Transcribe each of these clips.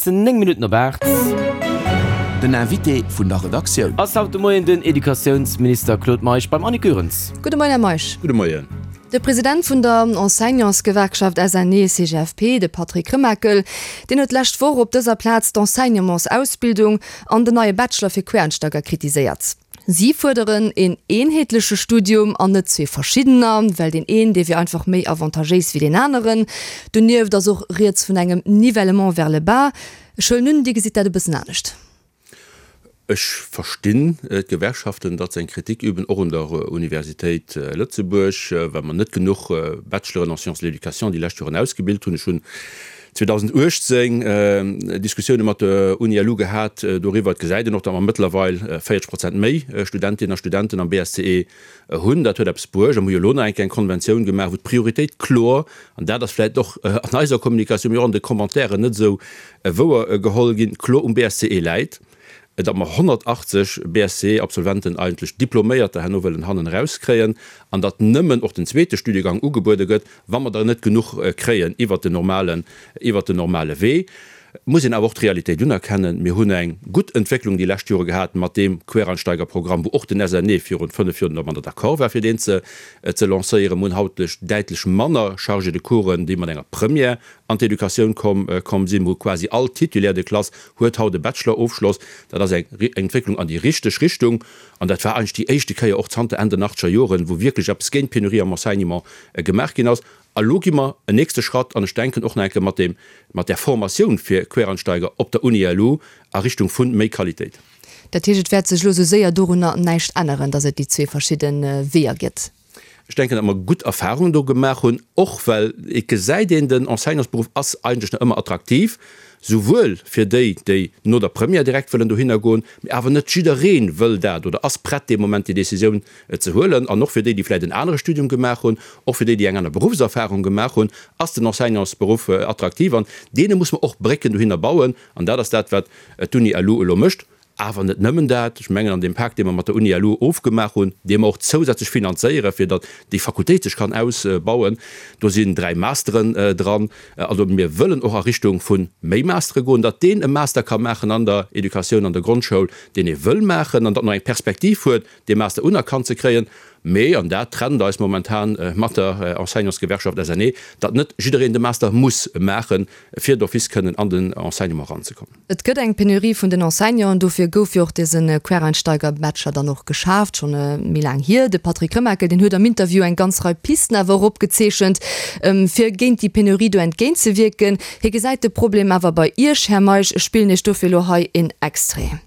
ass 9 Minutten op 8. Den Invité vun der Redaktioun. Ass haut de Moien den Educatiounsminister Claude Meisch beim Annick Goerens. Gudde Moien, Här Meisch. Gudde Moien. De President vun der Enseignantsgewerkschaft SNE-CGFP, de Patrick Remakel, deen huet d'lescht Woch op dëser Plaz d'Enseignementsausbildung an den neie Bachelor fir Quereinsteiger kritiséiert. Si fuerderen een eenheetleche Studium an net zwee verschiddener, well deen een, dee wier einfach méi avantagéis wéi deen aneren. Donieft ass och rieds vun engem Nivellement vers le bas. Ech huelen un, Dir gesitt dat e bëssen anescht. Ech verstinn d'Gewerkschaften, datt se eng Kritik üben, och un der Universitéit Lëtzebuerg, well mer net genuch Bacheloren en sciences de l'éducation déi lescht Joren ausgebilt hunn. Ech hunn 2018 Diskussioune mat der UniLu gehat doriwwer. Et gesäit een och, datt mer mëttlerweil 40 Prozent méi Studentinnen a Studenten am BSCE hunn. Dat huet eppes bruecht. A mer hu jo elo nach eng Kéier eng Konventioun gemaach, wou d'Prioritéit kloer, an dat ass vläicht och an eiser Kommunikatioun, mee och an de Commentairen net esou wouer geholl ginn, kloer um BSCE läit, datt mer 180 BSCE-Absolventen, eigentlech Diploméierter, herno wëllen hannen erauskréien an datt nëmmen och den zweete Studiegang ugebuede gëtt, wa mer der net genuch kréien iwwert den normalen, iwwert den normale Wee. Et muss een awer och d'Realitéit unerkennen, Mir hunn eng gutt Entwécklung déi lescht Jore gehat mat deem Quereinsteigerprogramm, wou och den SNE virun fënnf Joren domadder d'accord war, fir deen ze ze lancéieren. Mir hunn haut däitlech manner Chargés de coursen, déi mat enger Première an d'Educatioun komm komm sinn. Mir hu quasi all Titulaire de classe huet haut e Bachelor-Ofschloss. Dat ass eng Entwécklung an déi richteg Richtung. An dat war eigentlech déi éischte Kéier och zanter Enn den achtzeger Joren, wou wierklech eppes géint d'Penurie am Enseignement gemaach ginn ass. A lo gi mer en nächste Schratt an ech denken och nach eng Kéier mat deem, mat där Formatioun fir Quereinsteiger op der Uni LU a Richtung vu méi Qualitéit. Dat heescht, et wäert sech elo esou séier dorunner näischt änneren, datt et déi zwee verschidde Weeër gëtt? Ech denken, datt mer gutt Erfahrungen do gemaach hunn, och well et gesäit een, den Enseignantsberuff ass eigentlech nach ëmmer attraktiv, souwuel fir déi, déi no der Première direkt wëllen dohinner goen, mee awer net jidderee wëll dat oder ass prett dee Moment déi Décisioun ze huelen, an och fir déi, déi vläicht en anere Studium gemaach hunn, och fir déi, déi eng aner Beruffserfahrung gemaach hunn, ass den Enseignantsberuff attraktiv an deene muss mer och Brécken dohinner bauen an dat ass dat, wat d'Uni LU elo mécht. Awer net nëmmen dat, ech mengen an deem Pak, dee mer mat der Uni LU ofgemaach hunn, dee mer och zousätzlech finanzéieren, fir datt déi Fakultéit sech kann ausbauen, do sinn 3 Masteren dran. Also mir wëllen och a Richtung vu méi Mastere goen, datt deen e Master ka maachen an der Educatioun an der Grondschoul, deen ee wëll maachen an datt en och eng Perspektiv huet, dee Master unerkannt ze kréien. Mee, an dat trennt eis momentan mat der Enseignantsgewerkschaft SNE, datt net jiddereen de Master muss maachen, fir d'office kënnen an den Enseignement eranzekommen. Et gëtt eng Penurie vun den Enseignanten, dofir gouf jo och dëse Quereinsteiger-Bachelor dann och geschaaft, schonn méi laang hier. De Patrick Remakel, deen huet am Interview eng ganz Rei Pisten awer och opgezeechent, fir géint déi Penurie do entgéintzewierken. Hie gesäit de Problem awer bei Iech, Här Meisch. Ech spillen Iech dofir elo hei een Extrait.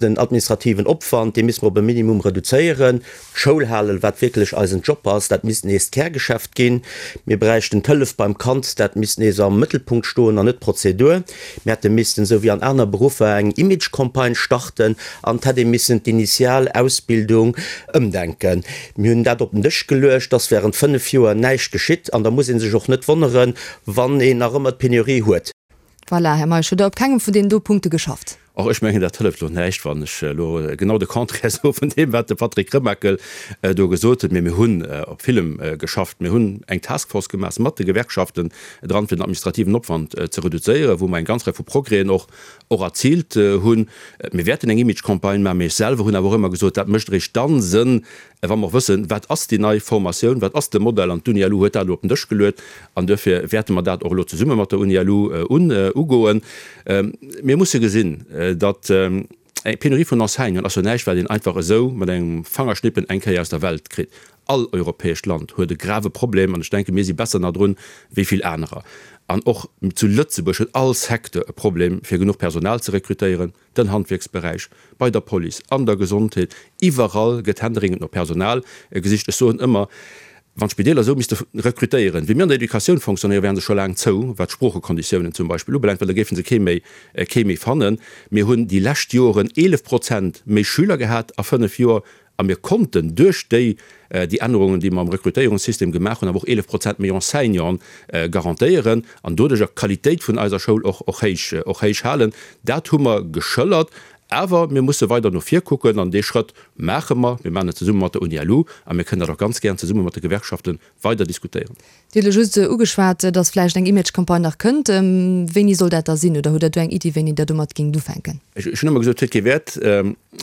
Den administrativen Opwand, dee misste mer op e Minimum reduzéieren. D'Schoul halen, wat wierklech eisen Job ass, dat misst nees d'Kärgeschäft ginn. Mir bräichten d'Hëllef beim Kand, dat misst nees am Mëttelpunkt stoen an net d'Prozedur. Mir hätte missten, esou wéi an aner Beruffer, eng Image-Campagne starten an et hätt ee missen d'initial Ausbildung ëmdenken. Mir hunn dat op den Dësch geluecht, et ass während 5 Joer näischt geschitt an da muss ee sech och net wonneren, wann een nach ëmmer d'Penurie huet. Voilà, Här Meisch, hutt Der op kengem vun deenen do Punkte geschafft? Och ech mengen, dat hëlleft elo näischt, wann ech elo genau de Contraire soe vun deem, wat de Patrick Remakel do gesot huet. Mee mir hunn op villem geschafft. Mir hunn eng Taskforce gemaach mat de Gewerkschaften dran, fir den administrativen Opwand ze reduzéieren, wou mer eng ganz Rei vu Progrèsen och och erziilt hunn. Mir wäerten eng Image-Campagne maachen. Mee ech selwer hunn awer och ëmmer gesot, dat mécht eréischt dann Sënn, Wa mer och wëssen, wat ass déi nei Formatioun, wat ass de Modell, an d'Uni LU huet dat elo op den Dësch geluet, an duerfir wäerte mer dat och elo zesumme mat der Uni LU ugoen. Mir musse gesinn, datt eng Penurie vun Enseignanten ass jo näischt, wat een einfach esou mat engem Fangerschnippen eng Kéier aus der Welt kritt. All europäescht Land huet e grave Problem, an ech denke mir si besser nach drun wéi vill anerer. An och zu Lëtzebuerg huet all Secteur e Problem, fir genuch Personal ze rekrutéieren. den Handwierksberäich, bei der Police, an der Gesondheet, iwwerall gëtt händeringend no Personal gesicht. Ech soen ëmmer, wann d'Spideeler esou misste rekrutéieren, wéi mir an der Educatioun fonctionnéieren, wären se scho laang zou, wat d'Sproochekonditiounen zum Beispill ubelaangt, well da géife se kee méi, kee méi fannen. Mir hunn déi lescht Joren 11 Prozent méi Schüler gehat a fënnf Joer A mir konnten duerch déi déi Ännerungen, déi mer am Rekrutéierungssystem gemaach hunn, awer och 11 Prozent méi Enseignanten garantéieren an doduercher d'Qualitéit vun eiser Schoul och och héich och héich halen. Dat hu mer geschëllert. Awer mir musse weider no vir kucken an dee Schrëtt maache mer. Mir maachen et zesumme mat der Uni-LU a mir kënnen dat och ganz gären zesumme mat de Gewerkschafte weider diskutéieren. Dir hutt elo just ugeschwat, datt vläicht eng Image-Campagne nach kënnt. Wéini soll dat da sinn? Oder hutt Der do eng Iddi, wéini Der domat géingt ufänken? Ech hunn ëmmer gesot, et huet kee Wäert,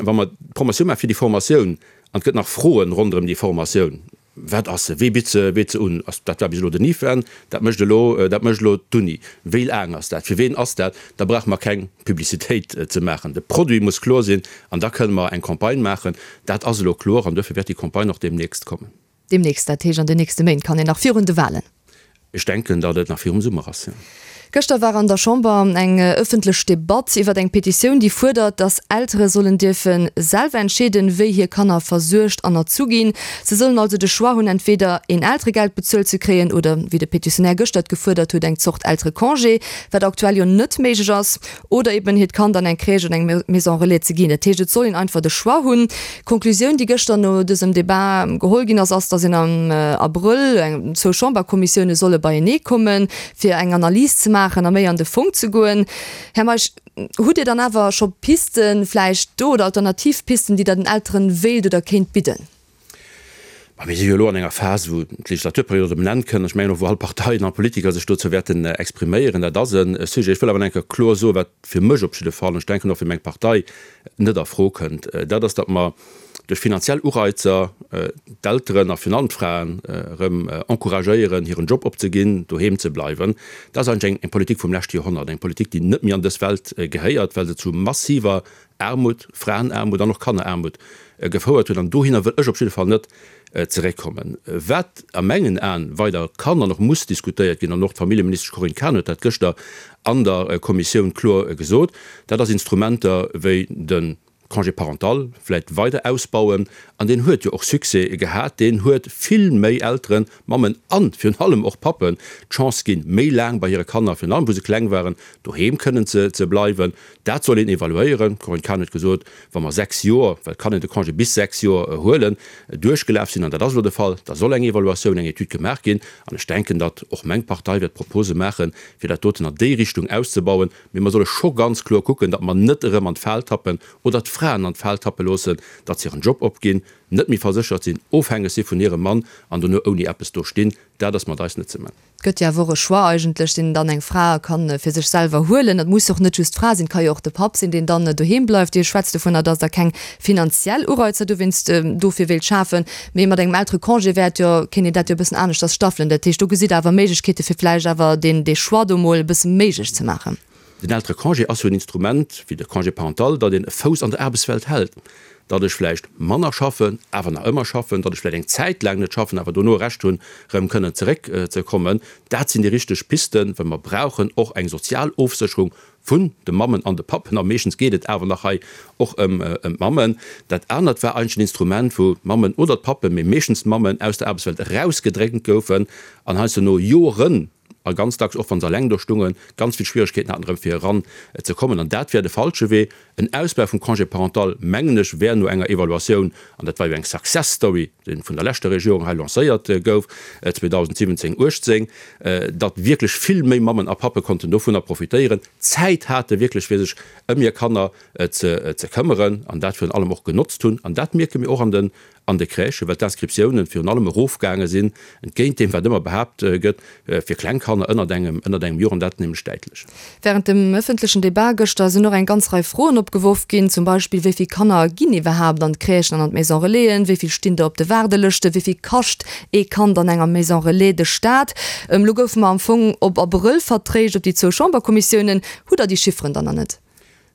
wa mer d'Promotioun maache fir déi Formatioun an et gëtt nach Froen ronderëm déi Formatioun. Wat ass se? Wee bitt se? Wee se un? Ass, dat war bis elo den IFEN, dat mécht elo, dat mécht elo d'Uni. Wéi laang ass dat? Fir ween ass dat? Da brauche mer keng Publicitéit ze maachen. De Produit muss kloer sinn an da kënne mer eng Campagne maachen. Dat ass elo kloer an duerfir wäert déi Campagne och deemnächst kommen. Deemnächst, dat heescht an den nächste Méint, kann een nach virun de Wahlen? Ech denken, datt et nach virum Summer ass, jo. Gëschter war an der Chamber eng ëffentlech Debatt iwwer eng Petitioun, déi fuerdert, datt Eltere sollen dierfe selwer entscheeden, wéi hir Kanner versuergt an erzu ginn. Se sollen also de Choix hunn, entweder een Elteregeld bezuelt ze kréien oder, wéi de Petitionär gëschter et gefuerdert huet, eng Zort Elterecongé, wat aktuell jo net méiglech ass. Oder eben hiert Kand an eng Crèche oder eng Maison relais ze ginn. Dat heescht, et soll een einfach de Choix hunn. D'Konklusioun, déi gëschter no dësem Debat geholl ginn ass, ass, datt een am Abrëll eng zwou Chamberkommissioune solle beienee kommen, fir eng Analys ze maachen a méi an de Fong ze goen. Här Meisch, hutt Dir dann awer scho Pisten vläicht do oder alternativ Pisten, déi Der den Elteren wéilt oder kéint bidden? Ma mir si jo elo an enger Phas, wou d'Legislaturperiod op en Enn kënn. Ech mengen och, wou all Parteien a Politiker sech dozou wäerten expriméieren. Dat ass e Sujet. Ech wëll awer nach eng Kéier kloer soen, wat fir mech op jidde Fall, an ech denken och fir meng Partei, net a Fro kënnt. Dat ass, datt mer duerch finanziell Ureizer d'Elteren a virun allem d'Fraen erëm encouragéieren, hiren Job opzeginn, doheem ze bleiwen. Dat ass eigentlech eng Politik vum leschte Joerhonnert, eng Politik, déi net méi an dës Welt gehéiert, well se zu massiver Aarmut, Fraenaarmut an och Kanneraarmut gefouert huet. An dohinner wëll ech op jidde Fall net zeréckkommen. Wat a mengen Aen weider kann an och muss diskutéiert ginn, an och d'Familljeministesch Corinne Cahen huet dat gëschter an der Kommissioun kloer gesot, dat ass Instrumenter wéi de Congé parental vläicht weider ausbauen. An deen huet jo och Succès gehat. Deen huet vill méi Elteren, Mammen an virun allem och Pappen d'Chance ginn, méi laang bei hire Kanner, virun allem wou se kleng waren, doheem kënnen ze bleiwen. Dat soll een evaluéieren. D'Corinne Cahen huet gesot, wa mer 6 Joer, well et kann een de Congé bis 6 Joer huelen, duerchgelaf sinn, an dat ass elo de Fall, da soll eng Evaluatioun, eng Etüd gemaach ginn. An ech denken, datt och meng Partei wäert Propose maachen, fir dat doten an déi Richtung auszebauen. Mee mer solle scho ganz kloer kucken, datt mer net erëm an d'Fal tappen oder d'Fraen an d'Fal tappe loossen, datt se hiren Job opginn, net méi verséchert sinn, ofhängeg si vun hirem Mann an dono ouni eppes do stinn. Dat ass mat eis net ze man. Et gëtt jo awer och e Choix eigentlech, deen dann eng Fra kann fir sech selwer huelen. Dat muss och net just d'Fra sinn, et ka jo och de Papp sinn, deen dann doheem bleift. Dir schwätzt dovunner, dass Der keng finanziell Ureizer dowéinst dofir wéilt schafen, mee mat engem Elterecongé wäert jo, kéint een dat jo e bëssen aneschters staffelen. Dat heescht, do gesitt Der awer Méiglechkeete fir vläicht awer deen, dee Choix do mol e bësse méiglech ze maachen. Den Elterecongé ass jo en Instrument, wéi de Congé parental, datt een e Fouss an der Aarbechtswelt hält, datt ech vläicht manner schaffen, awer nach ëmmer schaffen, datt ech vläicht eng Zäit laang net schaffen, awer dono e Recht hunn, erëm kënnen zeréckzekommen. Dat sinn déi richteg Pisten, well mer brauchen och eng sozial Ofsécherung vun de Mammen an de Pappen, a meeschtens geet et awer nach hei och ëm d'Mammen. Dat anert war eigentlech en Instrument, wou d'Mammen oder d'Pappen, mee meeschtens d'Mammen, aus der Aarbechtswelt erausgedréngt goufen an heiansdo no Joren, a ganz dacks och wa se eleng do stungen, ganz vill Schwieregkeeten haten erëm fir eran ze kommen. An dat wär de falsche Wee. En Ausbau vum Congé parental, mengen ech, wär no enger Evaluatioun, an dat war jo eng Success Story, déi vun der leschter Regierung hei lancéiert gouf 2017, 18, datt wierklech vill méi Mammen a Pappe konnten dovunner profitéieren, Zäit hate wierklech fir sech ëm hir Kanner ze këmmeren an dat virun allem och genotzt hunn. An dat mierke mir och an den an de Crèchen, well d'Inscriptiounen virun allem erofgaange sinn, entgéint deem, wat ëmmer behaapt gëtt, fir kleng Kanner ënnert engem, ënnert engem Joer, an dat nämlech däitlech. Während dem ëffentlechen Debat gëschter sinn och eng ganz Rei Froen opgeworf ginn, zum Beispill, Wéi vill Kanner ginn iwwerhaapt an d'Crèchen an an d'Maison Relaisen? Wéi vill stinn der op de Waardelëschten? Wéi vill kascht ee Kand an enger Maison Relais de Staat? Elo goufe mer am Fong op Abrëll vertréischt op déi zwou Chamberkommissiounen. Hutt Der déi Chifferen dann nach net?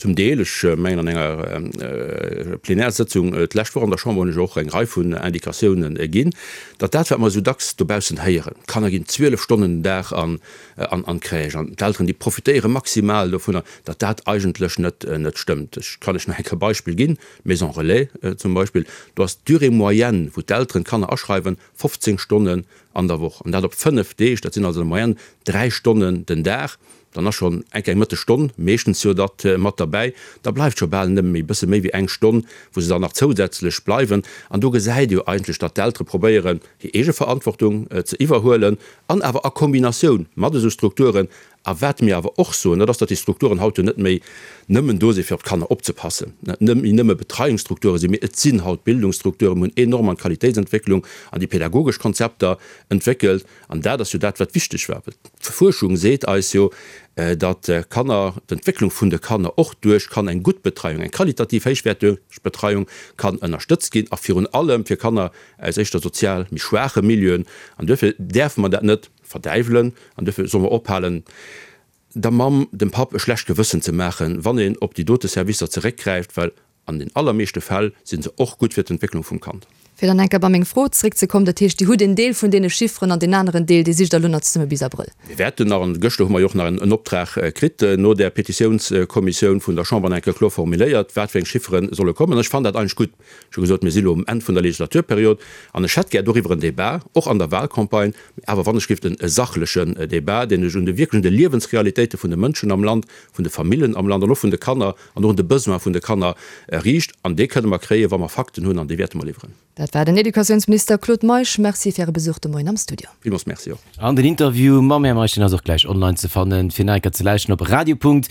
Zum Deel, ech mengen an enger Plenärsëtzung d'lescht Woch an der Chamber hunn ech och eng Rei vun Indikatiounen ginn, datt dat, wat mer esou dacks dobaussen héieren, d'Kanner ginn 12 Stonnen den Dag an d'Crèche an d'Elteren, déi profitéiere maximal dovunner, datt dat eigentlech net stëmmt. Ech kann lech nach eng Kéier e Beispill ginn, D'Maison relais zum Beispill, do ass d'Durée moyenne, wou d'Elteren d'Kanner aschreiwen, 15 Stonnen an der Woch, an dat op 5 Deeg, dat sinn also an der Moyenne 3 Stonnen den Dag. Dann ass schonn enk eng Mëttesstonn meeschtens jo datt mat derbäi. Da bleift scho bal nëmme méi bësse méi wéi eng Stonn, wou se dann nach zousätzlech bleiwen. An do gesäit ee jo eigentlech, datt d'Eltere probéieren, hir eege Verantwortung ze iwwerhuelen an awer a Kombinatioun mat esou Strukturen. A wat mir awer och soen, dat ass, datt déi Strukturen haut jo net méi nëmmen do sinn, fir op d'Kanner opzepassen, net méi nëmme Betreiungsstrukture sinn, mee et sinn haut Bildungsstrukturen. Mir hunn enorm an d'Qualitéitsentwécklung, an déi pädagogesch Konzepter entwéckelt. An dat ass jo dat, wat wichteg war. Well d'Fuerschung seet eis jo, datt Kanner, d'Entwécklung vun de Kanner och duerch kann eng gutt Betreiung, eng qualitativ héichwäerteg Betreiung kann ënnerstëtzt ginn, a virun allem fir Kanner aus éischter sozial méi schwaache Milieuen. An duerfir däerfe mer dat net verdäiwelen an duerfir solle mer ophalen, der Mamm, dem Papp e schlecht Gewëssen ze maachen, wann een op déi dote Servicer zeréckgräift, well an den allermeeschte Fäll si se och gutt fir d'Entwécklung vum Kand. Fir dann eng Kéier bei meng Fro zeréckzekommen, dat heescht, Dir hutt en Deel vun deene Chifferen an deen aneren Deel, dee sicht Der elo nach zesumme bis Abrëll. Mir wäerten nach, an gëschter hu mer jo och nach en Optrag kritt no där Petitiounskommissioun vun der Chamber, nach eng Kéier kloer formuléiert, wat fir eng Chiffere solle kommen. An ech fannen dat eigentlech gutt. Ech hu gesot, mir si lo um Enn vun der Legislaturperiod an ech hätt gär doriwwer en Débat, och an der Wahlcampagne, mee awer wann ech géif e sachlechen Débat, deen sech un de wierklech un de Liewensrealitéite vun de Mënschen am Land, vun de Famillen am Land an och vun de Kanner an och un de Besoin vun de Kanner riicht. An dee kënne mer kréien, wa mer Fakten hunn, an déi wäerte mer liwweren. Dat war den Educatiounsminister Claude Meisch. Merci fir Äre Besuch de Moien am Studio. Villmools Merci och. An den Interview mam Här Meisch, deen ass och gläich online ze fannen, fir nach eng Kéier ze lauschten op radio.rtl.lu.